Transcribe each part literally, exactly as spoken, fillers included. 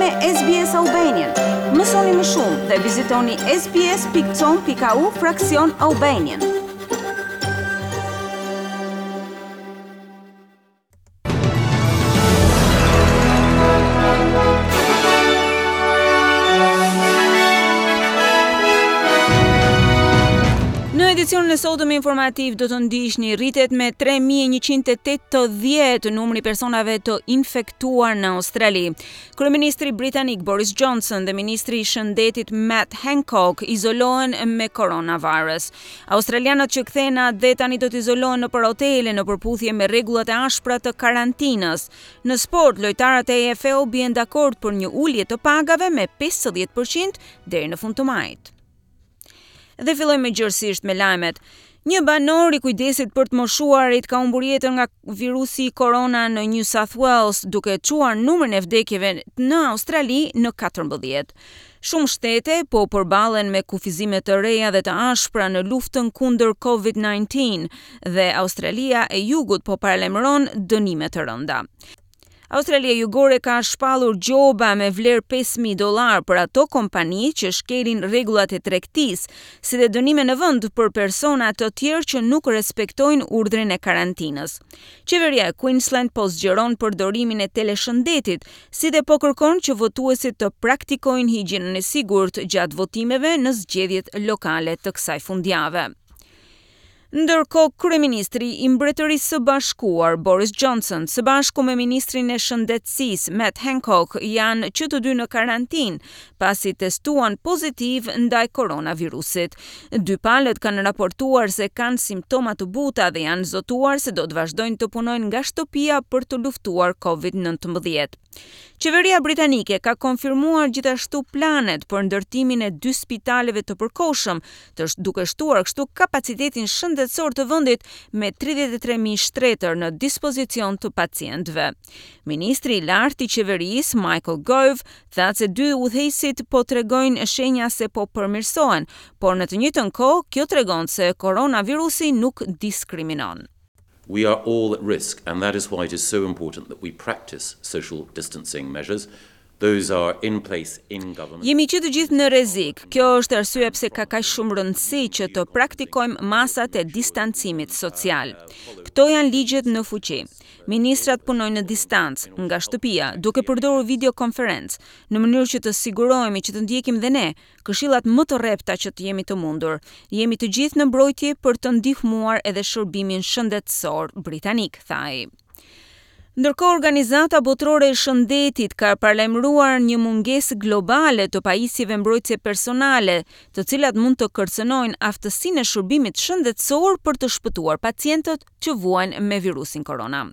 me S B S Albanian. Mësoni më shumë dhe vizitoni S B S pikë com pikë A U fraksion Albanian. Në edicionin e sotëm informativ do të ndiqni: rritet me tre mijë e njëqind e tetëdhjetë numri personave të infektuar në Australi. Kryeministri britanik Boris Johnson dhe ministri i Shëndetit Matt Hancock izolohen me coronavirus. Australianët që kthehen në atdhe tani do të izolohen nëpër hotele në përputhje me rregullat e ashpra të karantinës. Në sport, lojtarët e A F L bien dakord për një ulje të pagave me pesëdhjetë për qind deri në fund të majit. Dhe fillojmë gjerësisht me lajmet. Një banor i kujdesit për të moshuarit ka humbur jetën nga virusi korona në New South Wales, duke çuar numrin e vdekjeve në Australi në katërmbëdhjetë. Shumë shtete po përballen me kufizime të reja dhe të ashpra në luftën kundër COVID nëntëmbëdhjetë dhe Australia e Jugut po paralajmëron dënime të rënda. Australia Jugore ka shpallur gjoba me vlerë pesë mijë dollar për ato kompani që shkelin rregullat e tregtisë, si dhe dënime në vend për persona të tjerë që nuk respektojnë urdhrin e karantinës. Qeveria e Queensland po zgjeron përdorimin e teleshëndetit, si dhe po kërkon që votuesit të praktikojnë higjienën e sigurt gjatë votimeve në zgjedhjet lokale të kësaj fundjave. Ndërkohë, kryeministri i Mbretërisë së Bashkuar Boris Johnson, së bashku me ministrin e Shëndetësisë Matt Hancock, janë që të dy në karantinë pasi testuan pozitiv ndaj koronavirusit. Dy palët kanë raportuar se kanë simptoma të buta dhe janë zotuar se do të vazhdojnë të punojnë nga shtëpia për të luftuar COVID nëntëmbëdhjetë. Qeveria britanike ka konfirmuar gjithashtu planet për ndërtimin e dy spitaleve të përkohshëm, të duke shtuar kështu kapacitetin shëndetësor të vendit me tridhjetë e tre mijë shtretër në dispozicion të pacientëve. Ministri i lartë i qeverisë Michael Gove tha se dy udhëheqësit po tregojnë shenja se po përmirësohen, por në të njëjtën kohë kjo tregon se koronavirusi nuk diskriminon. We are all at risk, and that is why it is so important that we practice social distancing measures. Those are in place in government. Jemi që të gjithë në rrezik. Kjo është arsyeja pse ka kaq shumë rëndësi që të praktikojmë masat e distancimit social. Këto janë ligjet në fuqi. Ministrat punojnë në distancë nga shtëpia, duke përdorur videokonferencë, në mënyrë që të sigurohemi që të ndjekim dhe ne këshillat më të rrepta që të jemi të mundur. Jemi të gjithë në mbrojtje për të ndihmuar edhe shërbimin shëndetësor britanik, tha ai. Ndërkohë, Organizata Botërore e Shëndetit ka paralajmëruar një mungesë globale të pajisjeve mbrojtëse personale, të cilat mund të kërcënojnë aftësinë e shërbimit shëndetësor për të shpëtuar pacientët që vuajnë me virusin korona.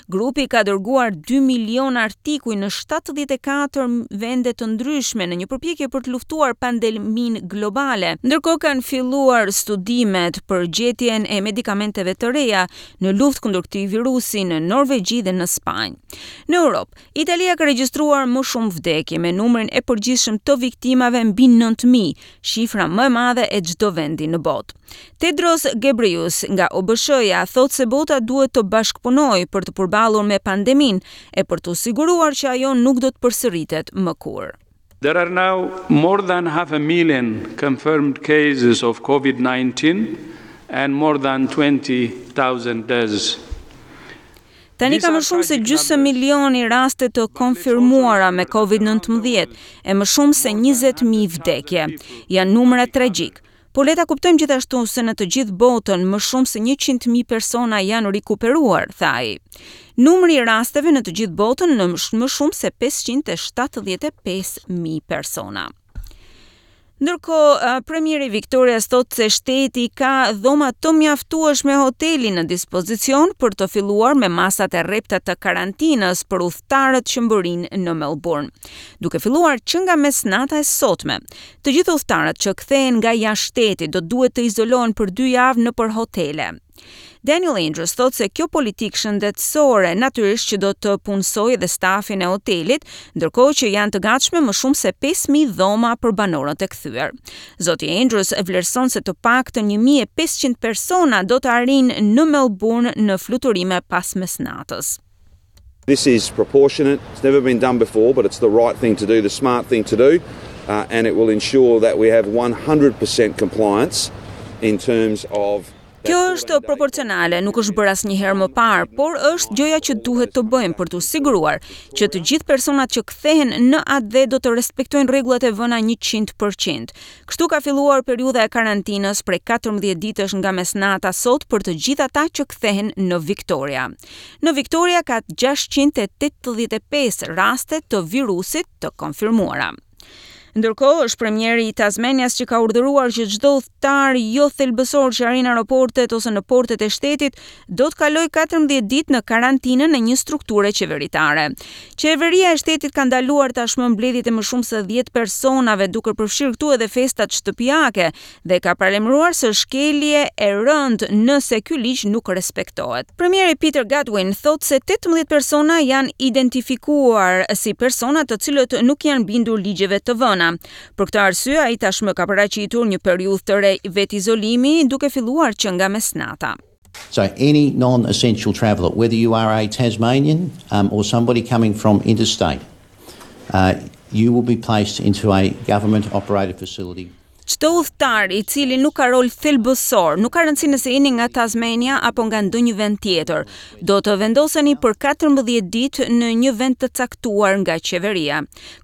Grupi ka dërguar dy milion artikuj në shtatëdhjetë e katër vende të ndryshme në një përpjekje për të luftuar pandeminë globale. Ndërkohë, kanë filluar studimet për gjetjen e medikamenteve të reja në luftë kundër këtij virusi në Norvegji dhe në Spanjë. Në Europë, Italia ka regjistruar më shumë vdekje, me numrin e përgjithshëm të viktimave mbi nëntë mijë, shifra më e madhe e çdo vendi në botë. Tedros Ghebreyesus nga O B S H-ja thotë se bota duhet të bashkëpunojë për të përballur me pandeminë e për të siguruar që ajo nuk do të përsëritet më kurrë. There are now more than half a million confirmed cases of COVID nineteen and more than twenty thousand deaths. Tani ka më shumë se gjysmë milioni raste të konfirmuara me COVID nëntëmbëdhjetë e më shumë se njëzet mijë vdekje. Janë numra tragjik. Por le ta kuptojmë gjithashtu se në të gjithë botën më shumë se njëqind mijë persona janë rikuperuar, tha ai. Numri i rasteve në të gjithë botën në më shumë se pesëqind e shtatëdhjetë e pesë mijë persona. Ndërkohë, premieri Victoria thotë se shteti ka dhoma të mjaftueshme hoteli në dispozicion për të filluar me masat e rrepta të karantinës për udhëtarët që mbërrijnë në Melbourne. Duke filluar që nga mesnata e sotme, të gjithë udhëtarët që kthehen nga jashtë shtetit do duhet të izolohen për dy javë nëpër hotele. Daniel Andrews thotë se kjo politikë shëndetësore natyrisht që do të punësojë edhe stafin e hotelit, ndërkohë që janë të gatshme më shumë se pesë mijë dhoma për banorët e kthyer. Zoti Andrews vlerëson se të paktën një mijë e pesëqind persona do të arrijnë në Melbourne në fluturime pas mesnatës. This is proportionate. It's never been done before, but it's the right thing to do, the smart thing to do, uh, and it will ensure that we have one hundred percent compliance in terms of Kjo është proporcionale, nuk është bërë asnjëherë më parë, por është gjëja që duhet të bëjmë për të siguruar që të gjithë personat që kthehen në atdhe do të respektojnë rregullat e vëna njëqind për qind. Kështu ka filluar periudha e karantinës prej katërmbëdhjetë ditësh nga mesnata sot për të gjithë ata që kthehen në Victoria. Në Victoria ka gjashtëqind e tetëdhjetë e pesë raste të virusit të konfirmuara. Ndërkohë, është premieri i Tasmanias që ka urdhëruar që çdo udhëtar jo thelbësor që arrin aeroportet ose në portet e shtetit do të kalojë katërmbëdhjetë ditë në karantinën e një strukture qeveritare. Qeveria e shtetit ka ndaluar tashmë mbledhjet e më shumë se dhjetë personave, duke përfshirë këtu edhe festat shtëpiake, dhe ka paralajmëruar se shkelje e rëndë nëse ky ligj nuk respektohet. Premieri Peter Gutwein thotë se tetëmbëdhjetë persona janë identifikuar si persona të cilët nuk janë bindur ligjeve të vëna. Për këtë arsye, ai tashmë ka paraqitur një periudhë të re vetizolimi, duke filluar që nga mesnata. So any non-essential traveller, whether you are a Tasmanian um, or somebody coming from interstate, uh, you will be placed into a government-operated facility. Çdo udhëtar i cili nuk ka rol thelbësor, nuk ka rëndësi nëse jeni nga Tasmania apo nga ndonjë vend tjetër, do të vendoseni për katërmbëdhjetë ditë në një vend të caktuar nga qeveria.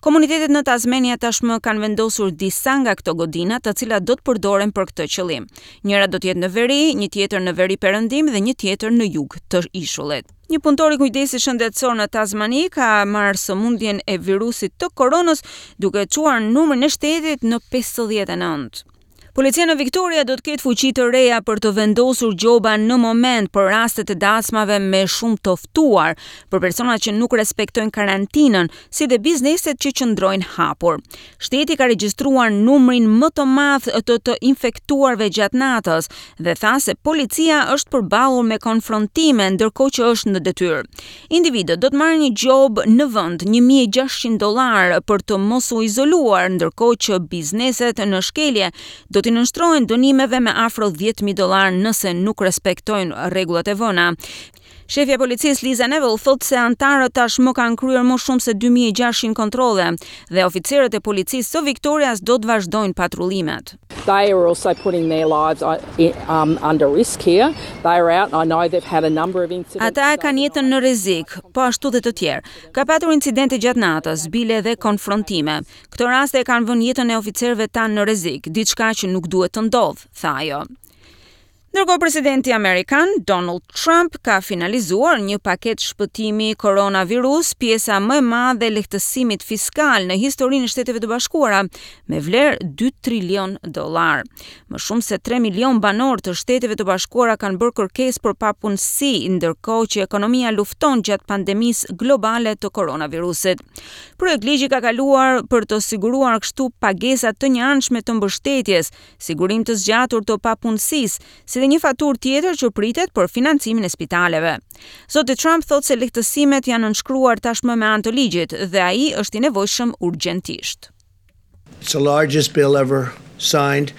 Komunitetet në Tasmania tashmë kanë vendosur disa nga këto godina, të cilat do të përdoren për këtë qëllim. Njëra do të jetë në veri, një tjetër në veri perëndim dhe një tjetër në jug të ishullit. Një punëtor i kujdesit shëndetësor në Tasmani ka marrë sëmundjen e virusit të koronës, duke çuar numrin e shtetit në pesëdhjetë e nëntë. Policia në Victoria do të ketë fuqi të reja për të vendosur gjoba në moment për rastet e dasmave me shumë të ftuar, për personat që nuk respektojnë karantinën, si dhe bizneset që qëndrojnë hapur. Shteti ka regjistruar numrin më të madh të të infektuarve gjatë natës dhe tha se policia është përballur me konfrontime ndërkohë që është në detyrë. Individët do të marrin një gjobë në vend një mijë e gjashtëqind dollar për të mos u izoluar, ndërkohë që bizneset në shkelje do t'i nënshtrohen dënimeve me afro dhjetë mijë dollar nëse nuk respektojnë rregullat e vëna. Shefja e policisë Lisa Neville thotë se anëtarët tashmë kanë kryer më shumë se dy mijë e gjashtëqind kontrolle dhe oficerët e policisë së Victorias do të vazhdojnë patrullimet. They are also putting their lives uh, um, under risk here. They are out. I know they've had a number of incidents. Ata e kanë jetën në rrezik, po ashtu dhe të tjerë. Ka patur incidente gjatë natës, bile dhe konfrontime. Këto raste e kanë vënë jetën e oficerëve tanë në rrezik, diçka që nuk duhet të ndodhë, tha ajo. Ndërkohë, presidenti amerikan Donald Trump ka finalizuar një paket shpëtimi koronavirus, pjesa më e madhe e lehtësimit fiskal në historinë e Shteteve të Bashkuara, me vlerë dy trilion dollar. Më shumë se tre milion banorë të Shteteve të Bashkuara kanë bërë kërkesë për papunësi, ndërkohë që ekonomia lufton gjatë pandemisë globale të koronavirusit. Projektligji ka kaluar për të siguruar kështu pagesa të njëanshme të mbështetjes, sigurim të zgjatur të papunësisë, si dhe një faturë tjetër që pritet për financimin e spitaleve. Zoti Trump thotë se lehtësimet janë nënshkruar tashmë me anë të ligjit dhe ai është i nevojshëm urgjentisht. It's the largest bill ever signed,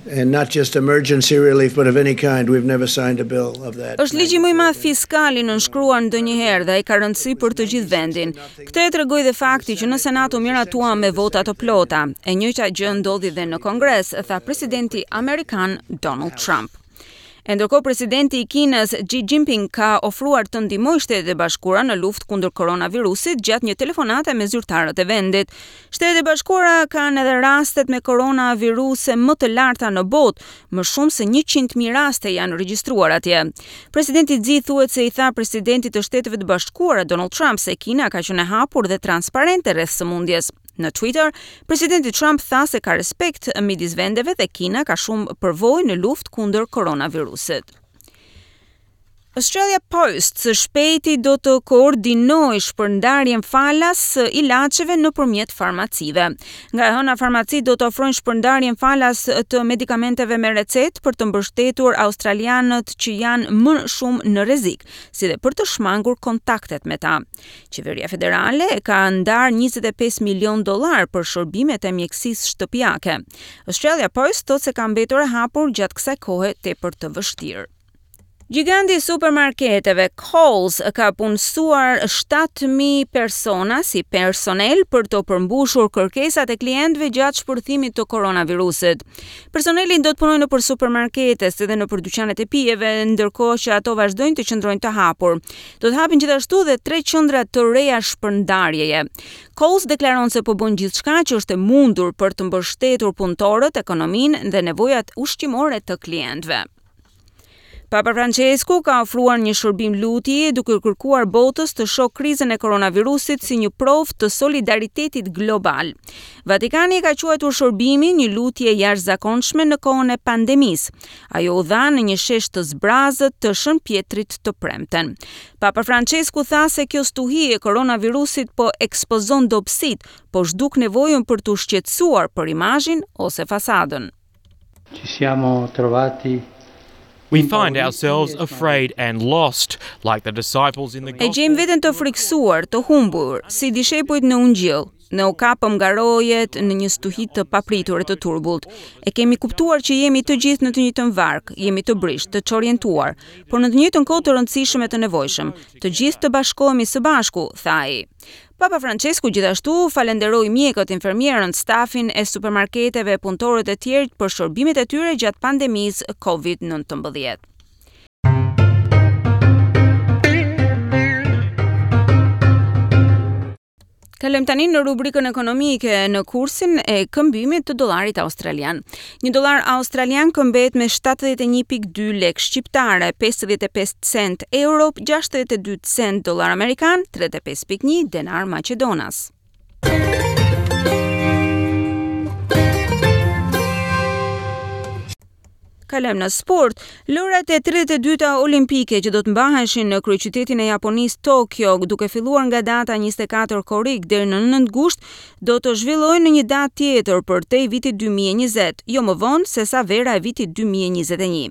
and not just emergency relief, but of any kind. We've never signed a bill of that. Është ligji më i madh fiskal i nënshkruar ndonjëherë dhe ai ka rëndësi për të gjithë vendin. Këtë e tregoi dhe fakti që në Senat u miratua me vota të plota. E njëjta gjë ndodhi dhe në Kongres, tha presidenti amerikan Donald Trump. E ndërkohë, presidenti i Kinës Xi Jinping ka ofruar të ndihmojë Shtetet e Bashkuara në luftë kundër koronavirusit gjatë një telefonate me zyrtarët e vendit. Shtetet e Bashkuara kanë edhe rastet me koronaviruse më të larta në botë, më shumë se njëqind mijë raste janë regjistruar atje. Presidenti Xi thuhet se i tha presidentit të Shteteve të Bashkuara Donald Trump se Kina ka qenë e hapur dhe transparente rreth sëmundjes. Në Twitter, presidenti Trump tha se ka respekt midis vendeve dhe Kina ka shumë përvojë në luftë kundër koronavirusit. Australia Post së shpejti do të koordinojë shpërndarjen falas së ilaçeve nëpërmjet farmacive. Nga e hëna, farmacitë do të ofrojnë shpërndarjen falas të medikamenteve me recetë për të mbështetur australianët që janë më shumë në rrezik, si dhe për të shmangur kontaktet me ta. Qeveria federale ka ndarë njëzet e pesë milion dollar për shërbimet e mjekësisë shtëpiake. Australia Post thotë se ka mbetur e hapur gjatë kësaj kohe tepër të vështirë. Giganti i supermarketeve Coles ka punësuar shtatë mijë persona si personel për të përmbushur kërkesat e klientëve gjatë shpërthimit të koronavirusit. Personeli do të punojë nëpër supermarkete si dhe nëpër dyqanet e pijeve, ndërkohë që ato vazhdojnë të qëndrojnë të hapur. Do të hapin gjithashtu dhe tre qendra të reja shpërndarjeje. Coles deklaron se po bën gjithçka që është e mundur për të mbështetur punëtorët, ekonominë dhe nevojat ushqimore të klientëve. Papa Francesku ka ofruar një shërbim lutje, duke kërkuar botës të shohë krizën e koronavirusit si një provë të solidaritetit global. Vatikani e ka quajtur shërbimin një lutje jashtëzakonshme në kohën e pandemisë. Ajo u dha në një shesh të zbrazët të Shën Pjetrit të premten. Papa Francesku tha se kjo stuhi e koronavirusit po ekspozon dobësitë, po zhduk nevojën për të shqetësuar për imazhin ose fasadën. Ci siamo trovati We find ourselves afraid and lost, like the disciples in the E gjejmë veten të friksuar, të humbur, si dishepujt në Ungjill. Ne u kapëm nga rojet në një stuhi të papritur e të turbullt. E kemi kuptuar që jemi të gjithë në të njëjtën varkë, jemi të brishtë, të çorientuar, por në të njëjtën kohë të rëndësishëm e të nevojshëm. Të gjithë të bashkohemi së bashku, tha ai. Papa Francesku gjithashtu falenderoi mjekët, infermierën, stafin e supermarketeve, punëtorët e tjerë për shërbimet e tyre gjatë pandemisë Covid nëntëmbëdhjetë. Kalojmë tani në rubrikën ekonomike, në kursin e këmbimit të dollarit australian. Një dollar australian këmbehet me shtatëdhjetë e një pikë dy lek shqiptare, pesëdhjetë e pesë cent euro, gjashtëdhjetë e dy cent dollar amerikan, tridhjetë e pesë pikë një denar maqedonas. Kalojmë në sport. Lojrat e tridhjetë e dyta olimpike që do të mbaheshin në kryeqytetin e Japonisë, Tokyo, duke filluar nga data njëzet e katër korrik deri në nëntë gusht, do të zhvillohen në një datë tjetër përtej vitit dy mijë e njëzet, jo më vonë se sa vera e vitit dy mijë e njëzet e një.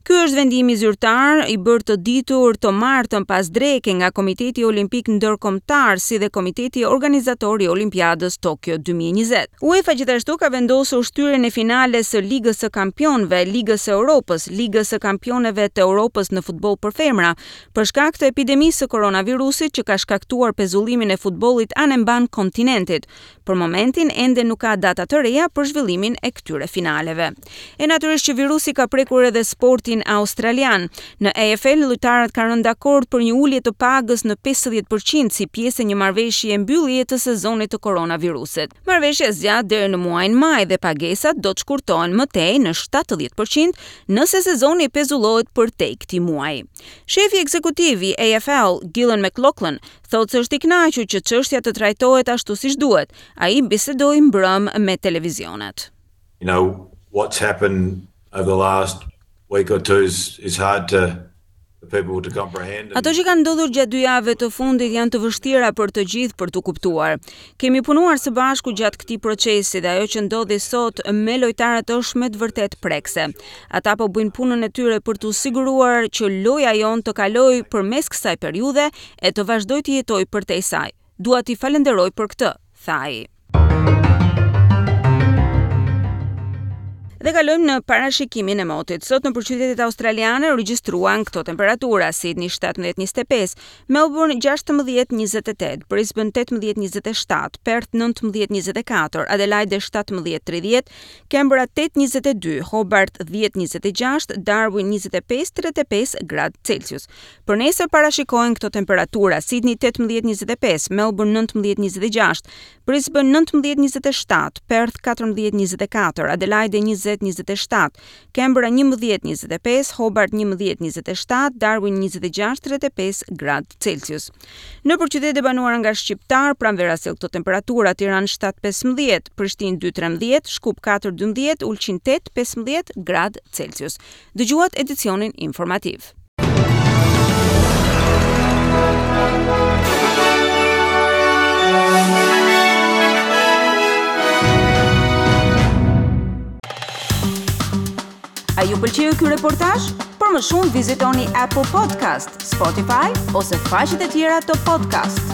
Ky është vendimi zyrtar i bërë të ditur të martën pas dreke nga Komiteti Olimpik Ndërkombëtar si dhe Komiteti Organizator i Olimpiadës Tokyo dy mijë e njëzet. UEFA gjithashtu ka vendosur shtyrjen e finales së Ligës së Kampionëve, Ligës së Europës, Ligës së Kampioneve të Europës në futboll për femra, për shkak të epidemisë së koronavirusit që ka shkaktuar pezullimin e futbollit anembanë kontinentit. Për momentin ende nuk ka data të reja për zhvillimin e këtyre finaleve. E natyrisht që virusi ka prekur edhe sportin australian. Në A F L, lojtarët kanë rënë dakord për një ulje të pagës në pesëdhjetë për qind si pjesë e një marrëveshje mbyllje të sezonit të koronavirusit. Marrëveshja zgjat deri në muajin maj dhe pagesat do të shkurtohen më tej në shtatëdhjetë për qind nëse sezoni pezullohet përtej këtij muaji. Shefi ekzekutiv i A F L, Gillon McLachlan, thotë se është i kënaqur që çështja të trajtohet ashtu siç duhet. Ai bisedoi mbrëm me televizionet. You know, what's happened over the last week or two is, is hard to for people to comprehend. Ato që kanë ndodhur gjatë dy javëve të fundit janë të vështira për të gjithë për të kuptuar. Kemi punuar së bashku gjatë këtij procesi dhe ajo që ndodhi sot me lojtarët është me të vërtetë prekse. Ata po bëjnë punën e tyre për të siguruar që loja jonë të kalojë përmes kësaj periudhe e të vazhdojë të jetojë përtej saj. Dua t'i falenderoj për këtë, tha ai. Dhe kalojmë në parashikimin e motit. Sot në qytetet australiane u regjistruan këto temperatura: Sydney shtatëmbëdhjetë njëzet e pesë, Melbourne gjashtëmbëdhjetë njëzet e tetë, Brisbane tetëmbëdhjetë njëzet e shtatë, Perth nëntëmbëdhjetë njëzet e katër, Adelaide shtatëmbëdhjetë tridhjetë, Canberra tetë njëzet e dy, Hobart dhjetë njëzet e gjashtë, Darwin njëzet e pesë tridhjetë e pesë gradë Celsius. Për nesër parashikohen këto temperatura: Sydney tetëmbëdhjetë njëzet e pesë, Melbourne nëntëmbëdhjetë njëzet e gjashtë, Brisbane nëntëmbëdhjetë njëzet e shtatë, Perth katërmbëdhjetë njëzet e katër, Adelaide njëzet njëzet e shtatë, Canberra njëmbëdhjetë njëzet e pesë, Hobart njëmbëdhjetë njëzet e shtatë, Darwin njëzet e gjashtë tridhjetë e pesë gradë Celsius. Nëpër qytetet e banuara nga shqiptar, pranvera sjell këto temperatura: Tiranë shtatë pesëmbëdhjetë, Prishtinë dy trembëdhjetë, Shkup katër dymbëdhjetë, Ulqin tetë pesëmbëdhjetë gradë Celsius. Dëgjuat edicionin informativ. A ju pëlqeu ky reportazh? Për më shumë vizitoni Apple Podcast, Spotify ose faqet e tjera të podcast.